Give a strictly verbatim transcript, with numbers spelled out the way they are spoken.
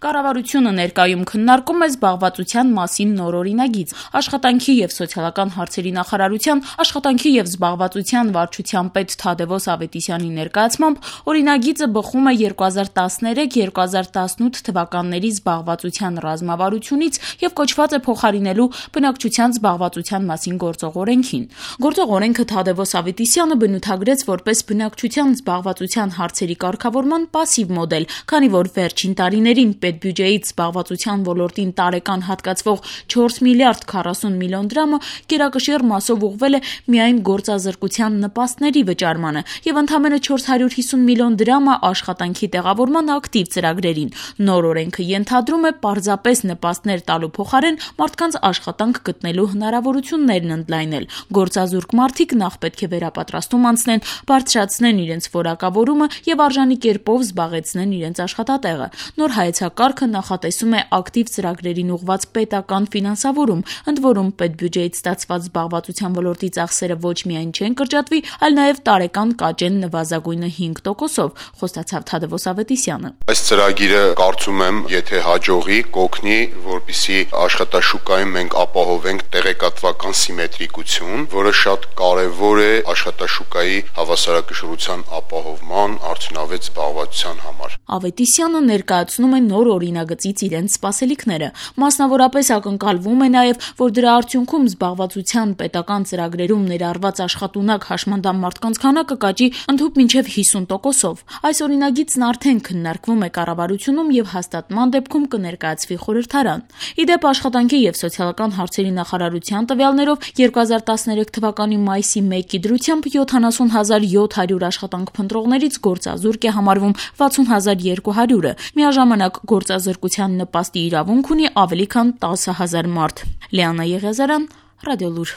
Կառավարությունը ներկայում քննարկում է զբաղվածության մասին նոր օրինագիծ։ Աշխատանքի եւ սոցիալական հարցերի նախարարության աշխատանքի եւ զբաղվածության վարչության պետ Թադևոս Ավետիսյանի ներկայացմամբ օրինագիծը բխում է երկու հազար տասներեք - երկու հազար տասնութ թվականների զբաղվածության ռազմավարությունից եւ կոչված է փոխարինելու բնակչության զբաղվածության մասին գործող օրենքին։ Գործող օրենքը Թադևոս Ավետիսյանը բնութագրեց որպես բնակչության զբաղվածության հարցերի կարգավորման պասիվ մոդել, քանի որ վերջին տարիներին պետբյուջեից զբաղվածության ոլորտին տարեկան հատկացվող չորս միլիարդ քառասուն միլիոն դրամը գերակշիռ մասով ուղղվել է միայն գործազրկության նպաստների վճարմանը եւ ընդամենը չորս հարյուր հիսուն միլիոն դրամը աշխատանքի տեղավորման ակտիվ ծրագրերին։ Նոր օրենքը ենթադրում է պարզապես նպաստներ տալու փոխարեն մարդկանց աշխատանք գտնելու հնարավորություններն ընդլայնել։ Գործազուրկ մարդիկ նախ պետք է վերապատրաստում անցնեն, բարձրացնեն իրենց որակավորումը եւ արժանի կերպով զբաղեցնեն իրենց աշխատատեղը։ Նոր հայեցակարգը նախատեսում է ակտիվ ծրագրերին ուղղված պետական ֆինանսավորում, ընդ որում պետբյուջեից ստացված զբաղվածության ոլորտի ծախսերը ոչ միայն չեն կրճատվի, այլ նաեւ տարեկան կաճեն նվազագույնը հինգ տոկոսով, խոստացավ Թադևոս Ավետիսյանը։ Այս ծրագիրը կարծում եմ, եթե հաջողի, կօգնի, որպեսզի աշխատաշուկայում մենք ապահովենք տեղեկատվական սիմետրիկություն, որը շատ կարևոր է աշխատաշուկայի հավասարակշռության ապահովման, արդյունավետ զբաղվածության համար։ Ավետիսյանը ներկայացնում է նոր օրինագծից իրենց սպասելիքները։ Մասնավորապես ակնկալվում է նաև, որ դրա արդյունքում զբաղվածության պետական ծրագրերում ներառված աշխատունակ հաշմանդամ մարդկանց քանակը կաճի ընդհուպ մինչև հիսուն տոկոսով։ Այս օրինագիծն արդեն քննարկվում է կառավարությունում եւ հաստատման դեպքում կներկայացվի խորհրդարան։ Ի դեպ, աշխատանքի եւ սոցիալական հարցերի նախարարության տվյալներով երկու հազար տասներեք թվականի մայիսի մեկի դրությամբ յոթանասուն հազար յոթ հարյուր աշխատանք փնտրողներից գործազուրկ է համարվում վաթսուն հազար երկու հարյուրը։ Միաժամանակ գործազրկության նպաստի իրավունք ունի ավելի քան տասը հազար մարդ։ Լիանա Եղիազարյան, Ռադիոլուր։